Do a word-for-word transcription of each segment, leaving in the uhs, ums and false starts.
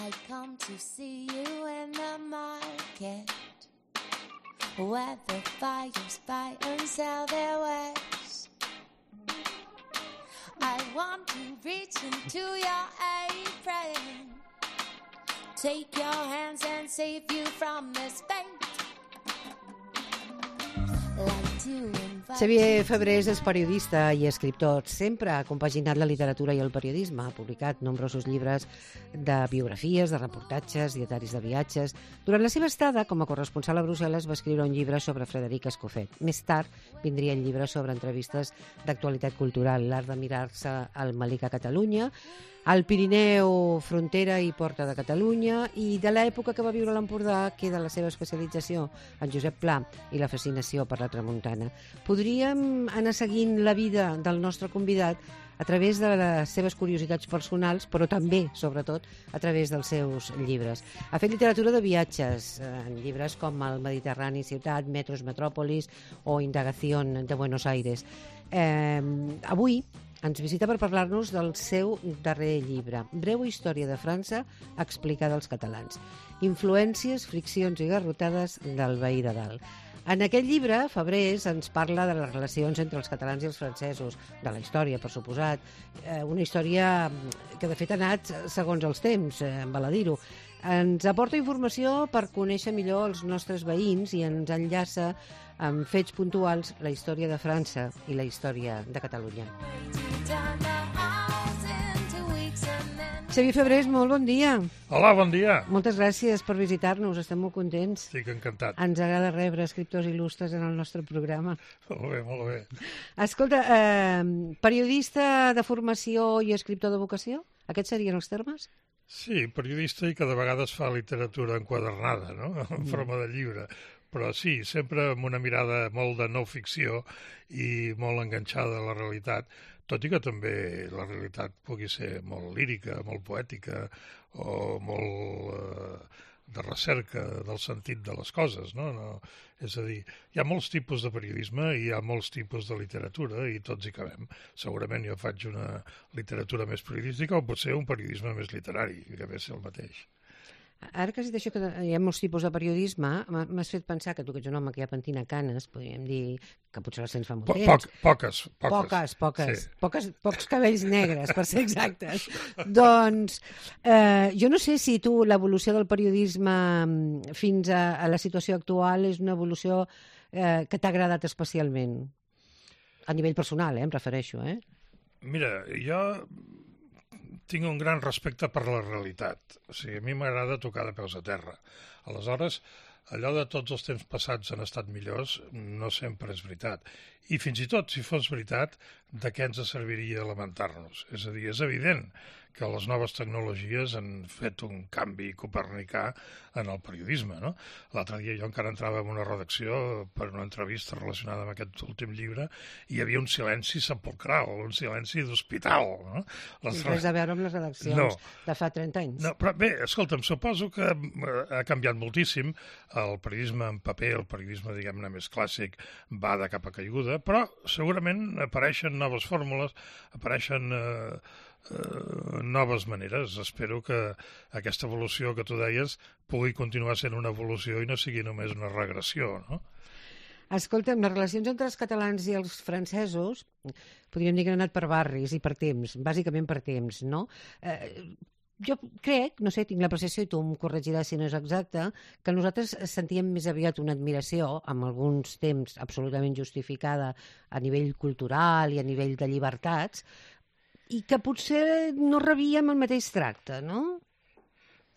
I come to see you in the market, where the fires buy and sell their wares. I want to reach into your apron, take your hands and save you from this fate. Xavier Febrés és periodista i escriptor. Sempre ha compaginat la literatura i el periodisme. Ha publicat nombrosos llibres de biografies, de reportatges, dietaris de viatges. Durant la seva estada com a corresponsal a Brussel·les va escriure un llibre sobre Frederic Escofet. Més tard vindria el llibre sobre entrevistes d'actualitat cultural, l'art de mirar-se al Melic a Catalunya, al Pirineu, frontera i porta de Catalunya, i de l'època que va viure a l'Empordà queda la seva especialització en Josep Pla i la fascinació per la tramuntana. Podríem anar seguint la vida del nostre convidat a través de les seves curiositats personals, però també, sobretot, a través dels seus llibres. Ha fet literatura de viatges, en llibres com El Mediterrani Ciutat, Metros Metròpolis o Indagación de Buenos Aires. Eh, avui ens visita per parlar-nos del seu darrer llibre, Breu història de França explicada als catalans. Influències, friccions i garrotades del veí de dalt. En aquest llibre, Febrés ens parla de les relacions entre els catalans i els francesos, de la història, per suposat, eh, una història que de fet ha anat segons els temps, eh, val a dir-ho. Ens aporta informació per conèixer millor els nostres veïns i ens enllaça amb fets puntuals la història de França i la història de Catalunya. Xavier Febrés, molt bon dia. Hola, bon dia. Moltes gràcies per visitar-nos, estem molt contents. Estic encantat. Ens agrada rebre escriptors il·lustres en el nostre programa. Molt bé, molt bé. Escolta, eh, periodista de formació i escriptor de vocació? Aquests serien els termes? Sí, periodista i que de vegades fa literatura enquadernada, no?, en forma de llibre. Però sí, sempre amb una mirada molt de no ficció i molt enganxada a la realitat, tot i que també la realitat pugui ser molt lírica, molt poètica o molt eh, de recerca del sentit de les coses, no? No? És a dir, hi ha molts tipus de periodisme i hi ha molts tipus de literatura i tots hi cabem. Segurament jo faig una literatura més periodística o potser un periodisme més literari, que ve ser el mateix. Ara que has dit això, que hi ha molts tipus de periodisme, m'has fet pensar que tu que ets un home que ja pentina canes, podríem dir que potser les tens fa molt po temps. Poc, poques, poques. Poques, poques. Sí. poques. Pocs cabells negres, per ser exactes. Doncs eh, jo no sé si tu l'evolució del periodisme fins a, a la situació actual és una evolució eh, que t'ha agradat especialment. A nivell personal, eh, em refereixo. Eh? Mira, jo tinc un gran respecte per la realitat. O sigui, a mi m'agrada tocar de peus a terra. Aleshores, allò de tots els temps passats han estat millors no sempre és veritat. I fins i tot, si fos veritat, de què ens serviria lamentar-nos? És a dir, és evident que les noves tecnologies han fet un canvi copernicà en el periodisme, no? L'altre dia jo encara entrava en una redacció per una entrevista relacionada amb aquest últim llibre i hi havia un silenci sepulcral, un silenci d'hospital, no? Les... Res a veure amb les redaccions no. de fa trenta anys. No, però bé, escolta'm, suposo que ha canviat moltíssim. El periodisme en paper, el periodisme, diguem-ne, més clàssic, va de capa caiguda, però segurament apareixen noves fórmules, apareixen eh, eh, noves maneres. Espero que aquesta evolució que tu deies pugui continuar sent una evolució i no sigui només una regressió, no? Escolta'm, les relacions entre els catalans i els francesos podríem dir que han anat per barris i per temps, bàsicament per temps, no? Eh, jo crec, no sé, tinc la percepció, i tu em corregiràs si no és exacte, que nosaltres sentíem més aviat una admiració, amb alguns temps absolutament justificada a nivell cultural i a nivell de llibertats, i que potser no rebíem el mateix tracte, no?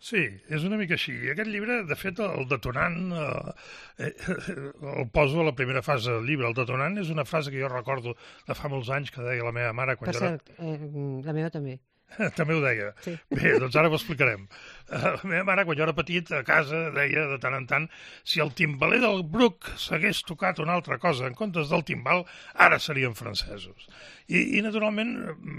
Sí, és una mica així. Aquest llibre, de fet, el detonant, eh, el poso a la primera fase del llibre. El detonant és una frase que jo recordo de fa molts anys que deia la meva mare quan per jo cert, era... eh, la meva també. També ho deia. Sí. Bé, doncs ara ho explicarem. La meva mare, quan jo era petit, a casa deia de tant en tant si el timbaler del Bruc s'hagués tocat una altra cosa en comptes del timbal, ara serien francesos. I, i naturalment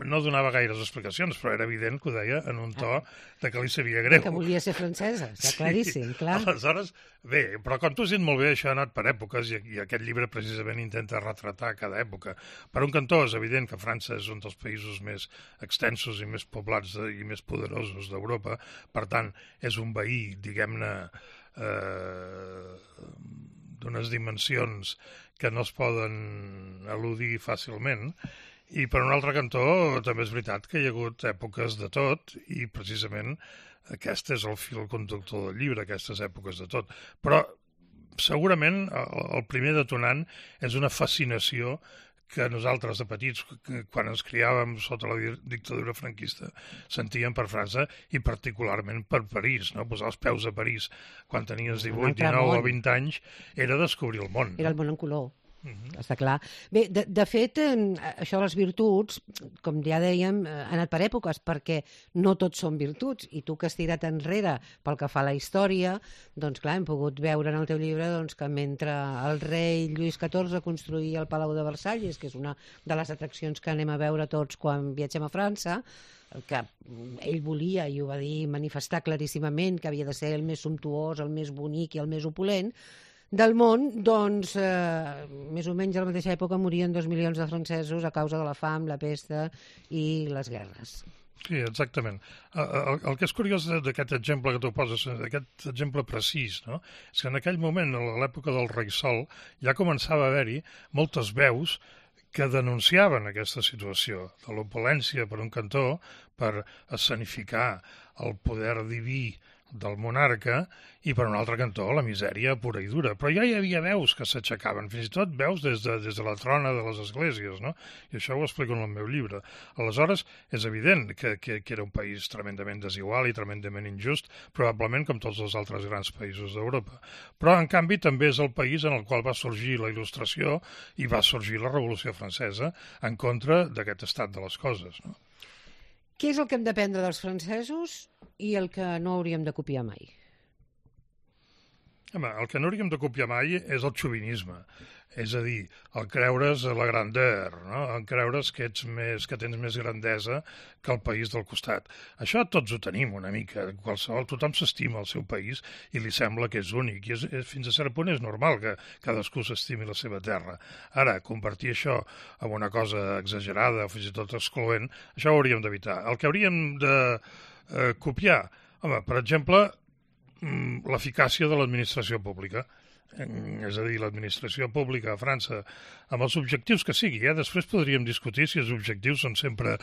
no donava gaires explicacions, però era evident que ho deia en un to de que li sabia greu. Que volia ser francesa, està claríssim, clar. Aleshores, bé, però com tu has dit molt bé, això ha anat per èpoques i, i aquest llibre precisament intenta retratar cada època. Per un cantó és evident que França és un dels països més extensos i més poblats de, i més poderosos d'Europa, per tant, és un veí, diguem-ne, eh, d'unes dimensions que no es poden eludir fàcilment, i per un altre cantó també és veritat que hi ha hagut èpoques de tot, i precisament aquest és el fil conductor del llibre, aquestes èpoques de tot. Però segurament el primer detonant és una fascinació que nosaltres de petits, quan ens criàvem sota la dictadura franquista, sentíem per França i particularment per París, no? Posar els peus a París quan tenies divuit, dinou o vint anys era descobrir el món. Era el món en color. Uh-huh. Està clar. Bé, de, de fet, això de les virtuts, com ja dèiem, ha anat per èpoques, perquè no tots són virtuts, i tu que has tirat enrere pel que fa a la història, doncs clar, hem pogut veure en el teu llibre doncs, que mentre el rei Lluís catorze construïa el Palau de Versalles, que és una de les atraccions que anem a veure tots quan viatgem a França, que ell volia, i ho va dir, manifestar claríssimament que havia de ser el més sumptuós, el més bonic i el més opulent, del món, doncs, eh, més o menys a la mateixa època morien dos milions de francesos a causa de la fam, la pesta i les guerres. Sí, exactament. El, el que és curiós d'aquest exemple que tu poses, d'aquest exemple precís, no? És que en aquell moment, a l'època del rei Sol, ja començava a haver-hi moltes veus que denunciaven aquesta situació de l'opulència per un cantó, per escenificar el poder diví del monarca, i per un altre cantó la misèria pura i dura. Però ja hi havia veus que s'aixecaven, fins i tot veus des de, des de la trona de les esglésies, no? I això ho explico en el meu llibre. Aleshores, és evident que, que, que era un país tremendament desigual i tremendament injust, probablement com tots els altres grans països d'Europa. Però, en canvi, també és el país en el qual va sorgir la Il·lustració i va sorgir la Revolució Francesa en contra d'aquest estat de les coses, no? Què és el que hem d'aprendre dels francesos i el que no hauríem de copiar mai? Home, el que no hauríem de copiar mai és el xovinisme. És a dir, el creure's la grandeur, no? El creure's que ets més, que tens més grandesa que el país del costat. Això tots ho tenim una mica. Qualsevol, tothom s'estima el seu país i li sembla que és únic. I és, és, fins a cert punt és normal que cadascú s'estimi la seva terra. Ara, convertir això en una cosa exagerada o fins i tot excloent, això ho hauríem d'evitar. El que hauríem de eh, copiar, home, per exemple, l'eficàcia de l'administració pública. És a dir, l'administració pública a França, amb els objectius que sigui, eh? Després podríem discutir si els objectius són sempre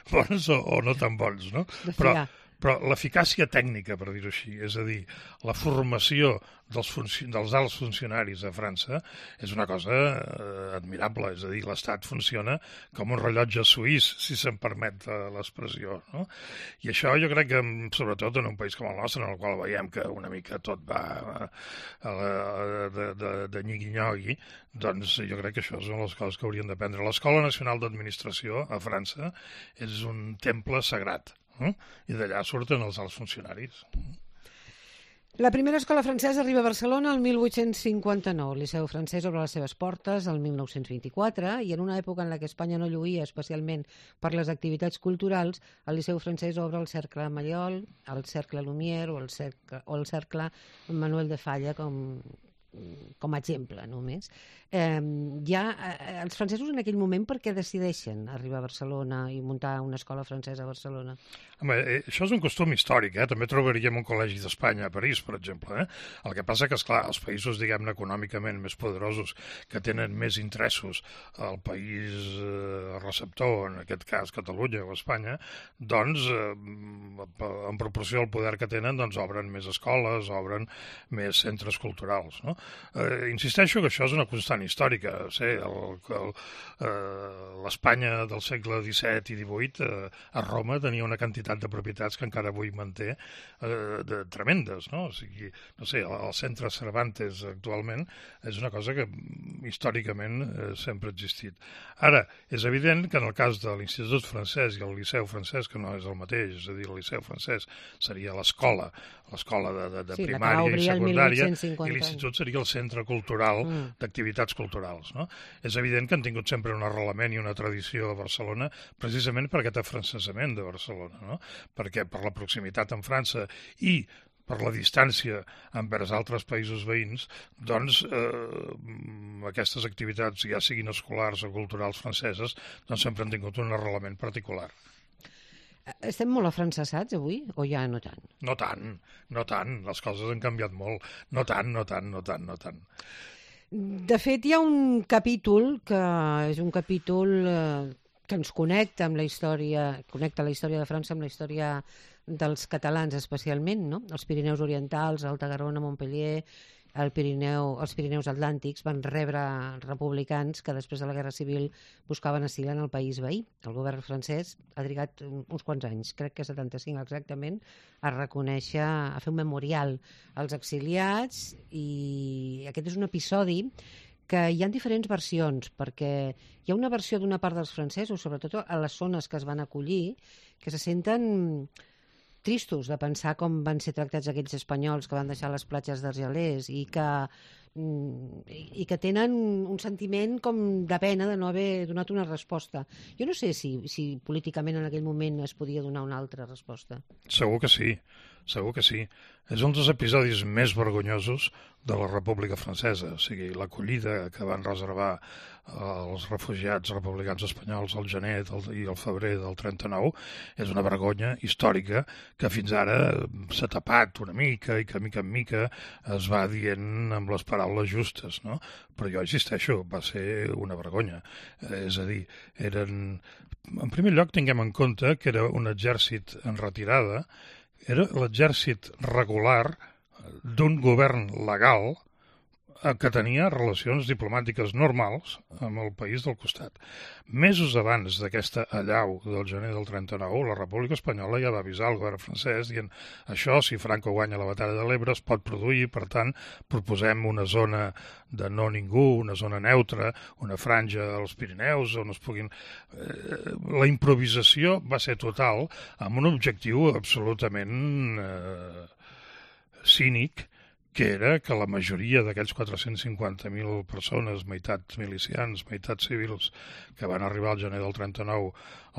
bons o, o no tan bons, no? Però, però l'eficàcia tècnica, per dir-ho així, és a dir, la formació dels, funci dels alts funcionaris a França és una cosa eh, admirable, és a dir, l'Estat funciona com un rellotge suís, si se'n permet l'expressió, no? I això jo crec que, sobretot en un país com el nostre, en el qual veiem que una mica tot va a la, de, de, de nyigui-nyogui, doncs jo crec que això són les coses que haurien d'aprendre. L'Escola Nacional d'Administració a França és un temple sagrat, eh? I d'allà surten els alts funcionaris. La primera escola francesa arriba a Barcelona el mil vuit-cents cinquanta-nou. El Liceu francès obre les seves portes el mil nou-cents vint-i-quatre i en una època en la que Espanya no lluïa especialment per les activitats culturals, el Liceu francès obre el Cercle Mallol, el Cercle Lumière o el Cercle, o el Cercle Manuel de Falla com, com a exemple només. Eh, ja, eh, els francesos en aquell moment per què decideixen arribar a Barcelona i muntar una escola francesa a Barcelona? Home, eh, això és un costum històric, eh? També trobaríem un col·legi d'Espanya a París, per exemple. Eh? El que passa que, esclar, els països, diguem-ne, econòmicament més poderosos, que tenen més interessos al país eh, receptor, en aquest cas Catalunya o Espanya, doncs, eh, en proporció al poder que tenen, doncs obren més escoles, obren més centres culturals, no? Eh, insisteixo que això és una constant històrica. Sí, l'Espanya del segle disset i divuit eh, a Roma tenia una quantitat de propietats que encara avui manté eh, de, tremendes, no? O sigui, no sé, el, el centre Cervantes actualment és una cosa que històricament eh, sempre ha existit. Ara, és evident que en el cas de l'Institut francès i el Liceu francès, que no és el mateix, és a dir, el Liceu francès seria l'escola, l'escola de, de, de sí, primària i secundària, i l'Institut seria sigui el centre cultural Mm. d'activitats culturals, no? És evident que han tingut sempre un arrelament i una tradició a Barcelona, precisament per aquest afrancesament de Barcelona, no? Perquè per la proximitat amb França i per la distància envers altres països veïns, doncs eh, aquestes activitats, ja siguin escolars o culturals franceses, doncs sempre han tingut un arrelament particular. Estem molt afrancesats avui, o ja no tant? No tant, no tant, les coses han canviat molt. No tant, no tant, no tant, no tant. De fet, hi ha un capítol que és un capítol eh, que ens connecta amb la història, connecta la història de França amb la història dels catalans especialment, no? Els Pirineus Orientals, Alta Garona, Montpellier, el Pirineu, els Pirineus Atlàntics van rebre republicans que després de la Guerra Civil buscaven asil en el país veí. El govern francès ha trigat uns quants anys, crec que setanta-cinc exactament, a reconèixer, a fer un memorial als exiliats, i aquest és un episodi que hi ha diferents versions, perquè hi ha una versió d'una part dels francesos, sobretot a les zones que es van acollir, que se senten tristos de pensar com van ser tractats aquells espanyols que van deixar les platges d'Argelers i que, i que tenen un sentiment com de pena de no haver donat una resposta. Jo no sé si, si políticament en aquell moment es podia donar una altra resposta. Segur que sí, segur que sí. És un dels episodis més vergonyosos de la República Francesa, o sigui, l'acollida que van reservar els refugiats republicans espanyols al gener del, i al febrer del trenta-nou és una vergonya històrica que fins ara s'ha tapat una mica i que mica en mica es va dient amb les paraules justes, no? Però jo insisteixo, va ser una vergonya. Eh, és a dir, eren... En primer lloc, tinguem en compte que era un exèrcit en retirada, era l'exèrcit regular d'un govern legal que tenia relacions diplomàtiques normals amb el país del costat. Mesos abans d'aquesta allau del gener del trenta-nou, la República Espanyola ja va avisar el govern francès dient això, si Franco guanya la batalla de l'Ebre, es pot produir, per tant, proposem una zona de no ningú, una zona neutra, una franja als Pirineus, on es puguin... La improvisació va ser total, amb un objectiu absolutament eh, cínic, que era que la majoria d'aquells quatre-cents cinquanta mil persones, meitat milicians, meitat civils, que van arribar al gener del trenta-nou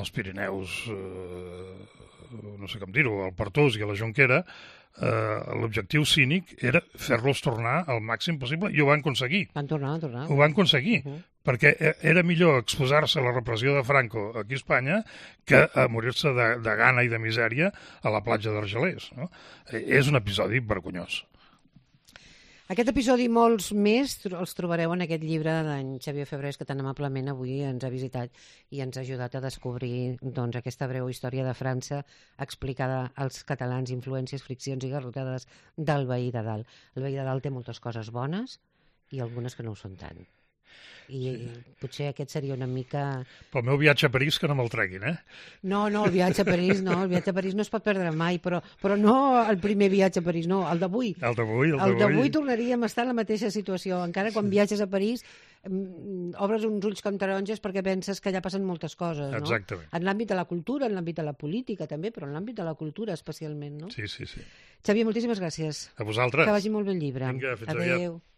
als Pirineus, eh, no sé com dir-ho, al Pertús i a la Jonquera, eh, l'objectiu cínic era fer-los tornar al màxim possible, i ho van aconseguir. Van tornar, van tornar. Ho van aconseguir, uh -huh. perquè era millor exposar-se a la repressió de Franco aquí a Espanya que a morir-se de, de gana i de misèria a la platja d'Argelers, no? És un episodi vergonyós. Aquest episodi i molts més els trobareu en aquest llibre d'en Xavier Febrés, que tan amablement avui ens ha visitat i ens ha ajudat a descobrir doncs, aquesta breu història de França explicada als catalans, influències, friccions i garrotades del veí de dalt. El veí de dalt té moltes coses bones i algunes que no ho són tant. I sí. Potser aquest seria una mica... Pel meu viatge a París que no me'l treguin, eh? No, no, el viatge a París no, el viatge a París no es pot perdre mai, però, però no el primer viatge a París, no, el d'avui. El d'avui, el d'avui. El d'avui tornaríem a estar en la mateixa situació, encara quan sí. viatges a París obres uns ulls com taronges perquè penses que allà passen moltes coses, no? Exactament. En l'àmbit de la cultura, en l'àmbit de la política també, però en l'àmbit de la cultura especialment, no? Sí, sí, sí. Xavier, moltíssimes gràcies. A vosaltres. Que vagi molt bé el llibre. Vinga, fins Adéu. aviat.